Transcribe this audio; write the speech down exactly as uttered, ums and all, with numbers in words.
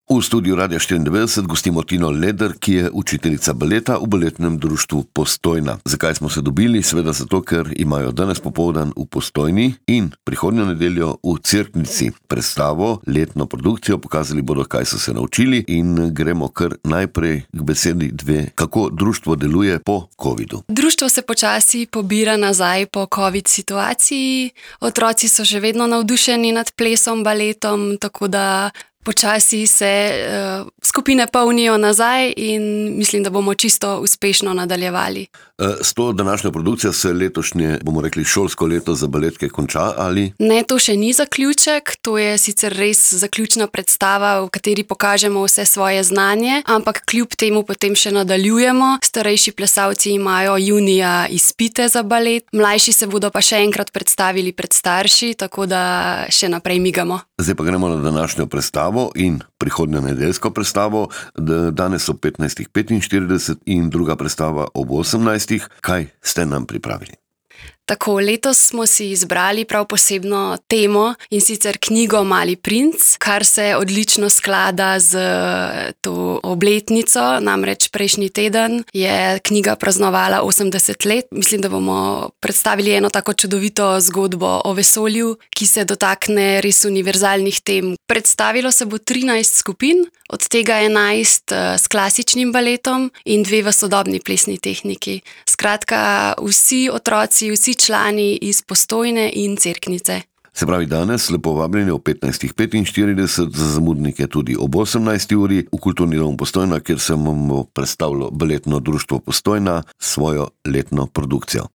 V studiu Radia štiriindevetdeset gostimo Tino Leder, ki je učiteljica baleta v Baletnem društvu Postojna. Zakaj smo se dobili? Seveda zato, ker imajo danes popoldan v Postojni in prihodnjo nedeljo v Cerknici predstavo, letno produkcijo. Pokazali bodo, kaj so se naučili, in gremo kar najprej k besedi dve. Kako društvo deluje po covidu? Društvo se počasi pobira nazaj po covid situaciji. Otroci so že vedno navdušeni nad plesom, baletom, tako da počasi se uh, skupine polnijo nazaj in mislim, da bomo čisto uspešno nadaljevali. S to današnjo produkcijo se letošnje, bomo rekli, šolsko leto za baletke konča, ali? Ne, to še ni zaključek, to je sicer res zaključna predstava, v kateri pokažemo vse svoje znanje, ampak kljub temu potem še nadaljujemo. Starejši plesalci imajo junija izpite za balet, mlajši se bodo pa še enkrat predstavili pred starši, tako da še naprej migamo. Zdaj pa gremo na današnjo predstavo in prihodnjo nedeljsko predstavo. Danes ob petnajstih petinštirideset in druga predstava ob osemnajstih. Kaj ste nam pripravili? Tako, letos smo si izbrali prav posebno temo, in sicer knjigo Mali princ, kar se odlično sklada z to obletnico. Namreč prejšnji teden je knjiga praznovala osemdeset let. Mislim, da bomo predstavili eno tako čudovito zgodbo o vesolju, ki se dotakne res univerzalnih tem. Predstavilo se bo trinajst skupin, od tega enajst s klasičnim baletom in dve v sodobni plesni tehniki. Skratka, vsi otroci, vsi člani iz Postojne in Cerknice. Se pravi, danes lepo vabljeni ob petnajstih petinštirideset, za zamudnike tudi ob osemnajsti uri v Kulturni dom Postojna, kjer se bomo predstavilo Baletno društvo Postojna svojo letno produkcijo.